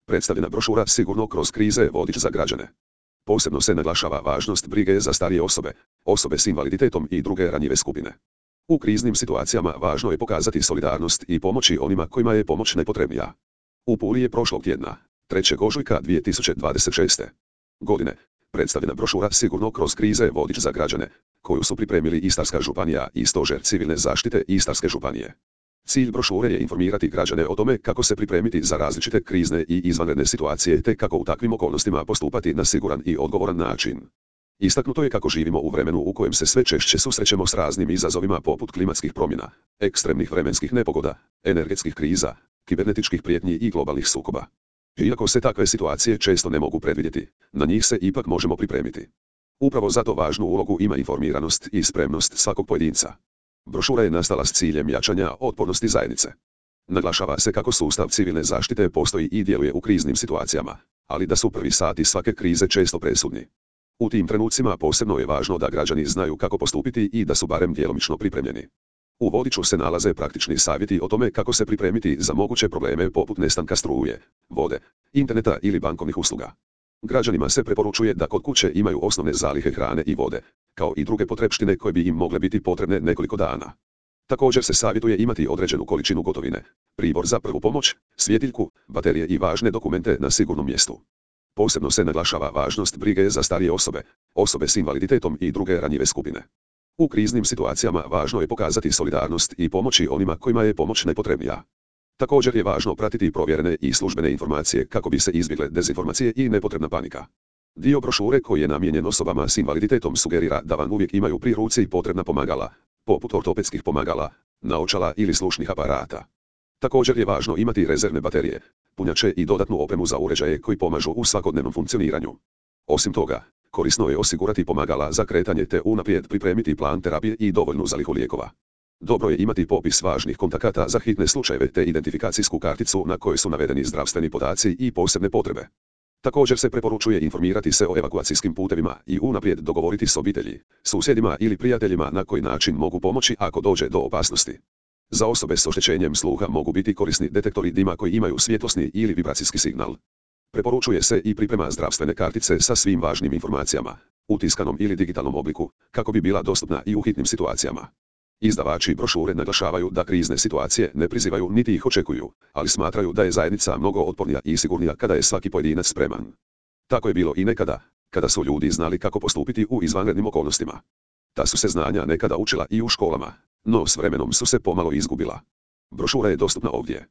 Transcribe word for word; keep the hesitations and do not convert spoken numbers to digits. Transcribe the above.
Predstavljena brošura sigurno kroz krize vodič za građane. Posebno se naglašava važnost brige za starije osobe, osobe s invaliditetom i druge ranjive skupine. U kriznim situacijama važno je pokazati solidarnost i pomoći onima kojima je pomoć najpotrebnija. U Puli je prošlog tjedna, trećeg ožujka dvije tisuće dvadeset šeste. godine, predstavljena brošura sigurno kroz krize vodič za građane, koju su pripremili Istarska županija i Stožer civilne zaštite Istarske županije. Cilj brošure je informirati građane o tome kako se pripremiti za različite krizne i izvanredne situacije te kako u takvim okolnostima postupati na siguran i odgovoran način. Istaknuto je kako živimo u vremenu u kojem se sve češće susrećemo s raznim izazovima poput klimatskih promjena, ekstremnih vremenskih nepogoda, energetskih kriza, kibernetičkih prijetnji i globalnih sukoba. Iako se takve situacije često ne mogu predvidjeti, na njih se ipak možemo pripremiti. Upravo zato važnu ulogu ima informiranost i spremnost svakog pojedinca. Brošura je nastala s ciljem jačanja otpornosti zajednice. Naglašava se kako sustav civilne zaštite postoji i djeluje u kriznim situacijama, ali da su prvi sati svake krize često presudni. U tim trenucima posebno je važno da građani znaju kako postupiti i da su barem djelomično pripremljeni. U vodiču se nalaze praktični savjeti o tome kako se pripremiti za moguće probleme poput nestanka struje, vode, interneta ili bankovnih usluga. Građanima se preporučuje da kod kuće imaju osnovne zalihe hrane i vode, kao i druge potrepštine koje bi im mogle biti potrebne nekoliko dana. Također se savjetuje imati određenu količinu gotovine, pribor za prvu pomoć, svjetiljku, baterije i važne dokumente na sigurnom mjestu. Posebno se naglašava važnost brige za starije osobe, osobe s invaliditetom i druge ranjive skupine. U kriznim situacijama važno je pokazati solidarnost i pomoći onima kojima je pomoć najpotrebnija. Također je važno pratiti provjerene i službene informacije kako bi se izbjegle dezinformacije i nepotrebna panika. Dio brošure koji je namijenjen osobama s invaliditetom sugerira da vam uvijek imaju pri ruci potrebna pomagala, poput ortopedskih pomagala, naočala ili slušnih aparata. Također je važno imati rezervne baterije, punjače i dodatnu opremu za uređaje koji pomažu u svakodnevnom funkcioniranju. Osim toga, korisno je osigurati pomagala za kretanje te unaprijed pripremiti plan terapije i dovoljnu zalihu lijekova. Dobro je imati popis važnih kontakata za hitne slučajeve te identifikacijsku karticu na kojoj su navedeni zdravstveni podaci i posebne potrebe. Također se preporučuje informirati se o evakuacijskim putevima i unaprijed dogovoriti s obitelji, susjedima ili prijateljima na koji način mogu pomoći ako dođe do opasnosti. Za osobe s oštećenjem sluha mogu biti korisni detektori dima koji imaju svjetlosni ili vibracijski signal. Preporučuje se i priprema zdravstvene kartice sa svim važnim informacijama, u tiskanom ili digitalnom obliku, kako bi bila dostupna i u hitnim situacijama. Izdavači brošure naglašavaju da krizne situacije ne prizivaju niti ih očekuju, ali smatraju da je zajednica mnogo otpornija i sigurnija kada je svaki pojedinac spreman. Tako je bilo i nekada, kada su ljudi znali kako postupiti u izvanrednim okolnostima. Ta su se znanja nekada učila i u školama, no s vremenom su se pomalo izgubila. Brošura je dostupna ovdje.